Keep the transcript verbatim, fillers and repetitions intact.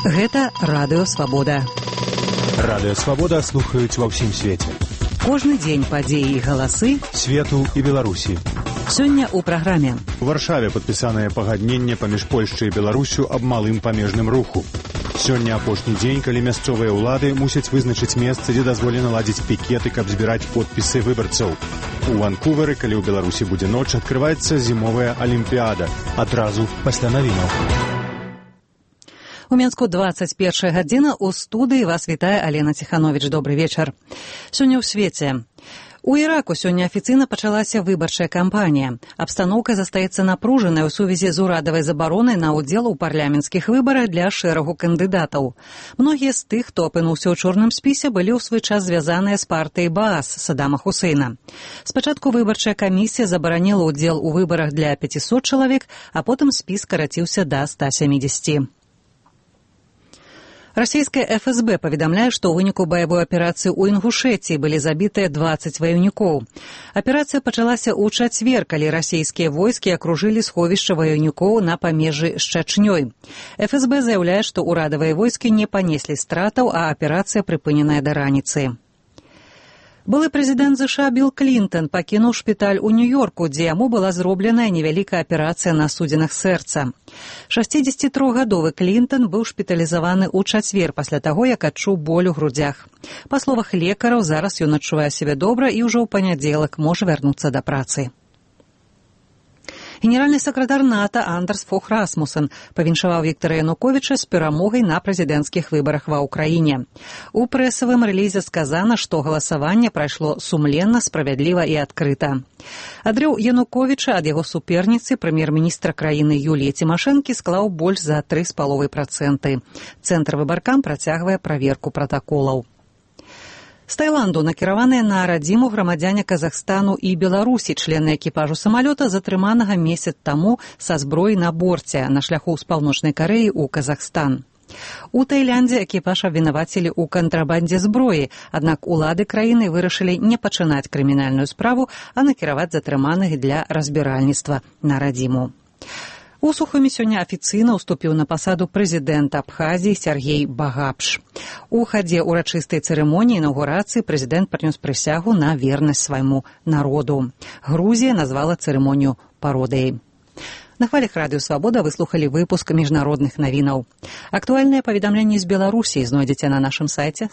Гэта Радыё Свабода. Радыё Свабода слухаюць ва ўсім свеце. Кожны дзень падзеі і галасы свету і Беларусі. Сёння ў праграме. У Варшаве падпісанае пагадненне паміж Польшчай і Беларусю аб малым памежным руху. Сёння апошні дзень, калі мясцовыя ўлады мусяць вызначыць месца, дзе дазволена ладзіць пікеты, каб збіраць подпісы выбарцаў. У Ванкувары, калі ў Беларусі будзе ноч, адкрываецца зімовая алімпіяда. Адразу пасля навінаў. У Менску дваццаць першая гадзіна, у студыі вас вітае Алена Ціхановіч. Добры вечар. Сёння ў свеце. У Іраку сёння афіцыйна пачалася выбарчая кампанія. Абстаноўка застаецца напружанай у сувязі з урадавай забаронай на ўдзел у парламенцкіх выбарах для шэрагу кандыдатаў. Многія з тых, хто апынуўся ў чорным спісе, былі ў свой час звязаныя з партыяй Баас Саддама Хусейна. Спачатку выбарчая камісія забараніла ўдзел у выбарах для пяцісот чалавек, а потым спіс скараціўся да ста сямідзесяці. Расійская эф эс бэ паведамляе, што ў выніку баявой аперацыі ў Інгушэцыі былі забітыя дваццаць ваяўнікоў. Аперацыя пачалася ў чацвер, калі расійскія войскі акружылі сховішча ваяўнікоў на памежжы з Чачнёй. эф эс бэ заяўляе, што ўрадавыя войскі не панеслі стратаў, а аперацыя прыпыненая да раніцы. Былы прэзідэнт ЗША Білл Клінтон пакінуў шпіталь у Нью-Йорку, дзе яму была зробленая невялікая аперацыя на судзінах сэрца. шасцідзесяцітрохгадовы Клінтон быў шпіталізаваны ў чацвер пасля таго, як адчуў боль у грудзях. Па словах лекараў, зараз ён адчувае сябе добра і ўжо ў панядзелак можа вярнуцца да працы. Генеральны сакратар НАТО Андерс Фог Расмуссен павіншаваў Віктара Януковіча з перамогай на прэзідэнцкіх выбарах ва ўкраіне. У прэсавым рэлізе сказана, што галасаванне прайшло сумленна, справядліва і адкрыта. Адрыў Януковіча ад яго суперніцы, прэм'ер-міністра краіны Юліі Цімашэнкі, склаў больш за тры з паловай працэнты. Цэнтр выбаркам працягвае праверку пратаколаў. З Таіланду накіраваныя на радзіму грамадзяне Казахстану і Беларусі, члены экіпажу самалёта, затрыманага месяц таму са зброяй на борце на шляху з паўночнай Карэі ў Казахстан. У Таіландзе экіпаж абвінавацілі ў кантрабандзе зброі, аднак улады краіны вырашылі не пачынаць крымінальную справу, а накіраваць затрыманых для разбіральніцтва на радзіму. У Сухуме сёння афіцыйна ўступіў на пасаду прэзідэнта Абхазіі Сергей Багапш. У хадзе ўрачыстай цырымоніі інаўгурацыі прэзідэнт прынёс прысягу на вернасць свайму народу. Грузія назвала цырымонію пародыяй. На хвалях Радыё Свабода вы слухалі выпуск міжнародных навінаў. Актуальныя паведамленні з Беларусі знойдзеце на нашым сайце